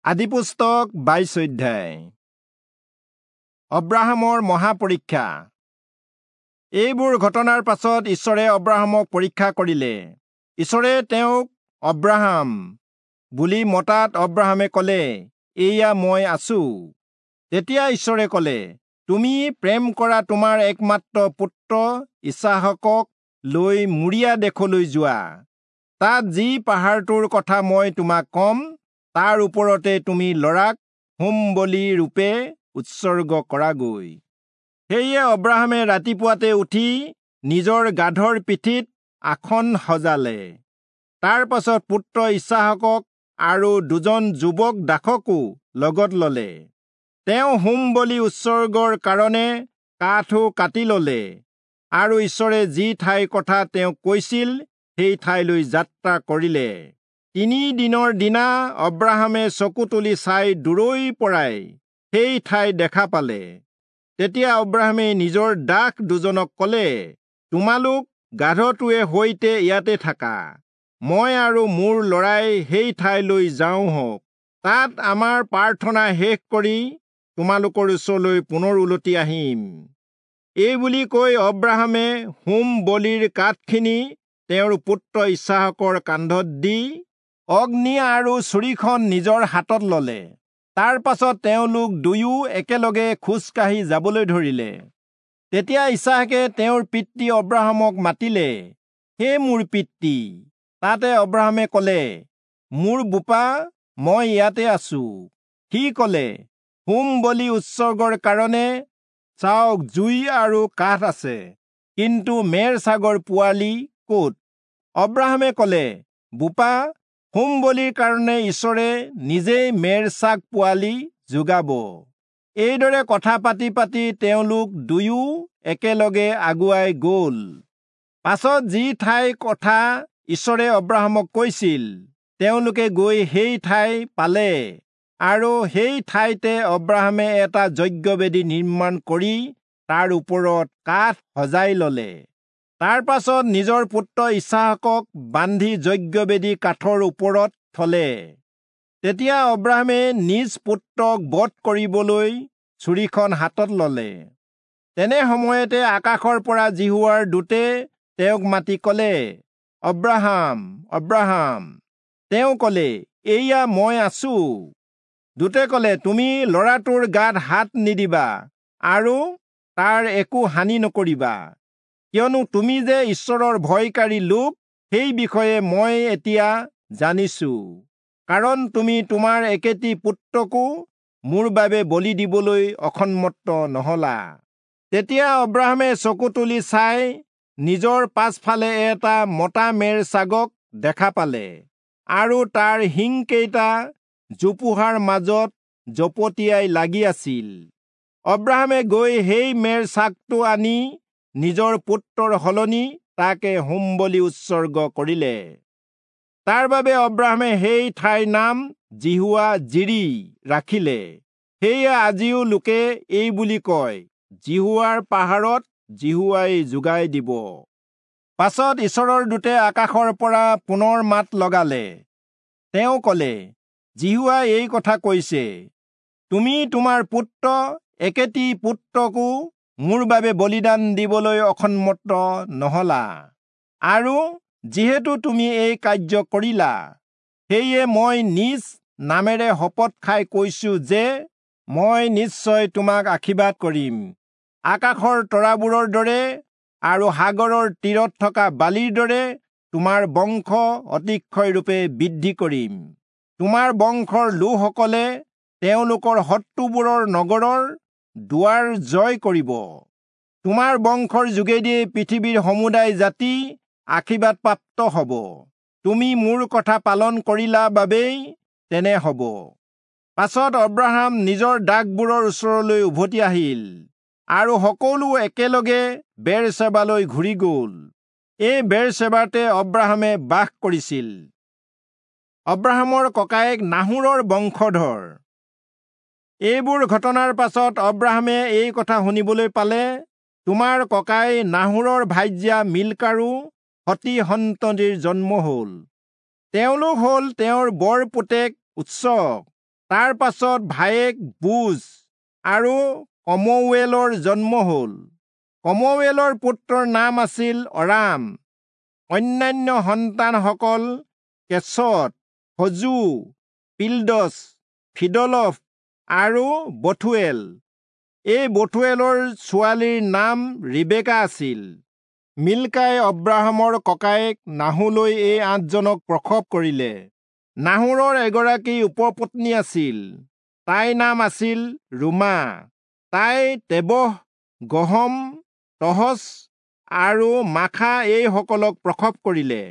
আদিপুস্তক 22 অধ্যায়। অব্ৰাহামৰ মহাপৰীক্ষা। এইবোৰ ঘটনাৰ পাছত ঈশ্বৰে অব্ৰাহামক পৰীক্ষা কৰিলে। ঈশ্বৰে তেওঁক অব্ৰাহাম বুলি মতাত অব্ৰাহামে ক'লে, এইয়া মই আছো। তেতিয়া ঈশ্বৰে ক'লে, তুমি প্ৰেম কৰা তোমাৰ একমাত্ৰ পুত্ৰ ইচাহকক লৈ মোৰিয়া দেশলৈ যোৱা। তাত যি পাহাৰটোৰ কথা মই তোমাক ক'ম, তাৰ ওপৰতে তুমি ল'ৰাক হোম বলি ৰূপে উৎসৰ্গ কৰাগৈ। সেয়ে অব্ৰাহামে ৰাতিপুৱাতে উঠি নিজৰ গাধৰ পিঠিত আসন সজালে। তাৰ পাছত পুত্ৰ ইচাহকক আৰু দুজন যুৱক দাসকো লগত ললে। তেওঁ হোম বলি উৎসৰ্গৰ কাৰণে কাঠো কাটি ললে আৰু ঈশ্বৰে যি ঠাইৰ কথা তেওঁক কৈছিল সেই ঠাইলৈ যাত্ৰা কৰিলে। 3 দিনৰ দিনা অব্ৰাহামে চকু তুলি চাই দূৰৈৰ পৰাই সেই ঠাই দেখা পালে। তেতিয়া অব্ৰাহামে নিজৰ দাস দুজনক ক'লে, তোমালোক গাধটোৱে সৈতে ইয়াতে থাকা, মই আৰু মোৰ ল'ৰাই সেই ঠাইলৈ যাওঁ হওক। তাত আমাৰ প্ৰাৰ্থনা শেষ কৰি তোমালোকৰ ওচৰলৈ পুনৰ উলটি আহিম। এই বুলি কৈ অব্ৰাহামে হোম বলিৰ কাঠখিনি তেওঁৰ পুত্ৰ ইচাহকৰ কান্ধত দি অগ্নি আৰু ছুৰীখন নিজৰ হাতত ললে। তাৰ পাছত তেওঁলোক দুয়ো একেলগে খোজকাঢ়ি যাবলৈ ধৰিলে। তেতিয়া ইচাহকে তেওঁৰ পিতৃ অব্ৰাহামক মাতিলে, হে মোৰ পিতৃ। তাতে অব্ৰাহামে ক'লে, মোৰ বোপা, মই ইয়াতে আছো। সি ক'লে, হোম বলি উৎসৰ্গৰ কাৰণে চাওক জুই আৰু কাঠ আছে, কিন্তু মেৰ ছাগৰ পোৱালি ক'ত? অব্ৰাহামে ক'লে, বোপা, হোম বলিৰ কাৰণে ঈশ্বৰে নিজেই মেৰ ছাগ পোৱালি যোগাব। এইদৰে কথা পাতি পাতি তেওঁলোক দুয়ো একেলগে আগুৱাই গ'ল। পাছত যি ঠাইৰ কথা ঈশ্বৰে অব্ৰাহামক কৈছিল, তেওঁলোকে গৈ সেই ঠাই পালে আৰু সেই ঠাইতে অব্ৰাহামে এটা যজ্ঞবেদী নিৰ্মাণ কৰি তাৰ ওপৰত কাঠ সজাই ললে। তাৰ পাছত নিজৰ পুত্ৰ ইচাহকক বান্ধি যজ্ঞবেদী কাঠৰ ওপৰত থলে। তেতিয়া অব্ৰাহামে নিজ পুত্ৰক বধ কৰিবলৈ ছুৰীখন হাতত ললে। তেনে সময়তে আকাশৰ পৰা যিহোৱাৰ দূতে তেওঁক মাতি ক'লে, অব্ৰাহাম, অব্ৰাহাম। তেওঁ ক'লে, এইয়া মই আছো। দূতে ক'লে, তুমি ল'ৰাটোৰ গাত হাত নিদিবা আৰু তাৰ একো হানি নকৰিবা, কিয়নো তুমি যে ঈশ্বৰৰ ভয়কাৰী লোক, সেই বিষয়ে মই এতিয়া জানিছো। কাৰণ তুমি তোমাৰ একেটি পুত্ৰকো মোৰ বাবে বলি দিবলৈ অসন্মত নহলা। তেতিয়া অব্ৰাহামে চকু তুলি চাই নিজৰ পাছফালে এটা মতা মেৰ ছাগক দেখা পালে আৰু তাৰ শিংকেইটা জোপোহাৰ মাজত জপটিয়াই লাগি আছিল। অব্ৰাহামে গৈ সেই মেৰ ছাগটো আনি নিজৰ পুত্ৰৰ সলনি তাকে হোম বলি উৎসৰ্গ কৰিলে। তাৰ বাবে অব্ৰাহামে সেই ঠাইৰ নাম যিহোৱা জিৰি ৰাখিলে। সেয়ে আজিও লোকে এই বুলি কয়, যিহোৱাৰ পাহাৰত যিহোৱাই যোগাই দিব। পাছত ঈশ্বৰৰ দূতে আকাশৰ পৰা পুনৰ মাত লগালে। তেওঁ ক'লে, যিহোৱাই এই কথা কৈছে, তুমি তোমাৰ পুত্ৰ একেটি পুত্ৰকো মোৰ বাবে বলিদান দিবলৈ অসন্মত নহলা, আৰু যিহেতু তুমি এই কাৰ্য কৰিলা, সেয়ে মই নিজ নামেৰে শপত খাই কৈছো যে মই নিশ্চয় তোমাক আশীৰ্বাদ কৰিম। আকাশৰ তৰাবোৰৰ দৰে আৰু সাগৰৰ তীৰত থকা বালিৰ দৰে তোমাৰ বংশ অতিশয়ৰূপে বৃদ্ধি কৰিম। তোমাৰ বংশৰ লোকসকলে তেওঁলোকৰ শত্ৰুবোৰৰ নগৰৰ দুৱাৰ জয় কৰিব। তোমাৰ বংশৰ যোগেদিয়ে পৃথিৱীৰ সমুদায় জাতি আশীৰ্বাদ প্ৰাপ্ত হ'ব। তুমি মোৰ কথা পালন কৰিলা বাবেই তেনে হ'ব। পাছত অব্ৰাহাম নিজৰ দাসবোৰৰ ওচৰলৈ উভতি আহিল আৰু সকলো একেলগে বেৰচেবালৈ ঘূৰি গ'ল। এই বেৰচেবাতে অব্ৰাহামে বাস কৰিছিল। অব্ৰাহামৰ ককায়েক নাহোৰৰ বংশধৰ। এইবোৰ ঘটনাৰ পাছত অব্ৰাহামে এই কথা শুনিবলৈ পালে, তোমাৰ ককাই নাহোৰৰ ভাৰ্যা মিল্কাৰো সতি সন্ততিৰ জন্ম হ'ল। তেওঁলোক হ'ল তেওঁৰ বৰ পুতেক উৎসক, তাৰ পাছত ভায়েক বুজ আৰু কমৱেলৰ জন্ম হ'ল। কমৱেলৰ পুত্ৰৰ নাম আছিল অৰাম। অন্যান্য সন্তানসকল কেচত, হজু, পিলদছ, ফিদলফ আৰু বথুৱেল। এই বথুৱেলৰ ছোৱালীৰ নাম ৰিবেকা আছিল। মিল্কাই অব্ৰাহামৰ ককায়েক নাহোৰলৈ এই 8জনক প্ৰসৱ কৰিলে। নাহোৰৰ এগৰাকী উপপত্নী আছিল, তাইৰ নাম আছিল ৰুমা। তাই তেবহ, গহম, তহচ আৰু মাখা এইসকলক প্ৰসৱ কৰিলে।